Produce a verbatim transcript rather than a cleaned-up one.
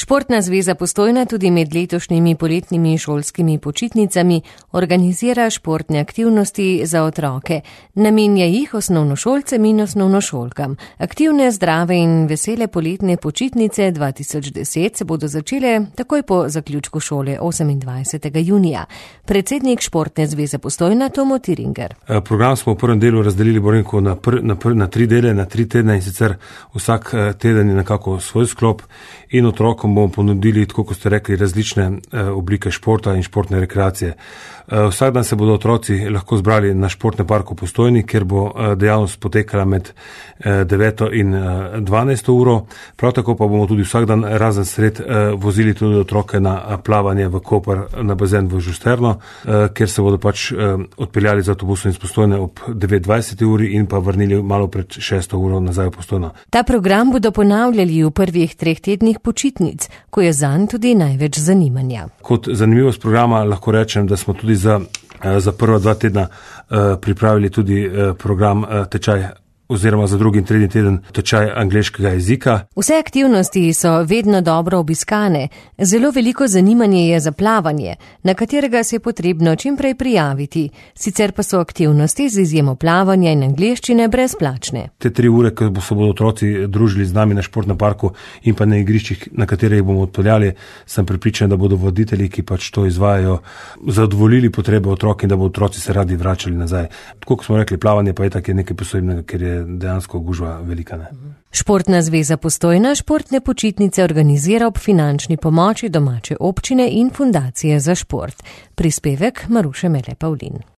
Športna zveza Postojna tudi med letošnjimi poletnimi šolskimi počitnicami organizira športne aktivnosti za otroke. Namenja jih osnovnošolcem in osnovnošolkam. Aktivne, zdrave in vesele poletne počitnice dva tisoč deset se bodo začele takoj po zaključku šole osemindvajsetega junija. Predsednik Športne zveze Postojna Tomo Tiringer. Program smo v prvem delu razdelili Borenko na, pr, na, pr, na tri dele, na tri tedne in sicer vsak teden je nekako svoj sklop in otrokom bomo ponudili, tako kot ste rekli, različne oblike športa in športne rekreacije. Vsak dan se bodo otroci lahko zbrali na športnem parku v Postojni, kjer bo dejavnost potekala med deveto in dvanajsto uro. Prav tako pa bomo tudi vsak dan razen sred vozili tudi otroke na plavanje v Koper, na bazen v Žusterno, kjer se bodo pač odpeljali z avtobusom iz Postojne ob devet dvajset uri in pa vrnili malo pred šesto uro nazaj v Postojno. Ta program bodo ponavljali v prvih treh tednih počitnic, ko je zanj tudi največ zanimanja. Kot zanimivost programa lahko rečem, da smo tudi za, za prva dva tedna pripravili tudi program tečaj oziroma za drugi in tretji teden tečaj angleškega jezika. Vse aktivnosti so vedno dobro obiskane. Zelo veliko zanimanje je za plavanje, na katerega se je potrebno čim prej prijaviti. Sicer pa so aktivnosti z izjemo plavanja in angleščine brezplačne. Te tri ure, ko se bodo otroci družili z nami na športnem parku in pa na igriščih, na katere jih bomo odpeljali, sem prepričan, da bodo voditelji, ki pač to izvajajo, zadovoljili potrebe otrok in da bodo otroci se radi vračali nazaj. Tako kot smo rekli, plavanje pa je tako nekaj posebnega, ker je dejansko gužva velika. Ne? Športna zveza Postojna športne počitnice organizira ob finančni pomoči domače občine in fundacije za šport. Prispevek Maruše Mele Pavlin.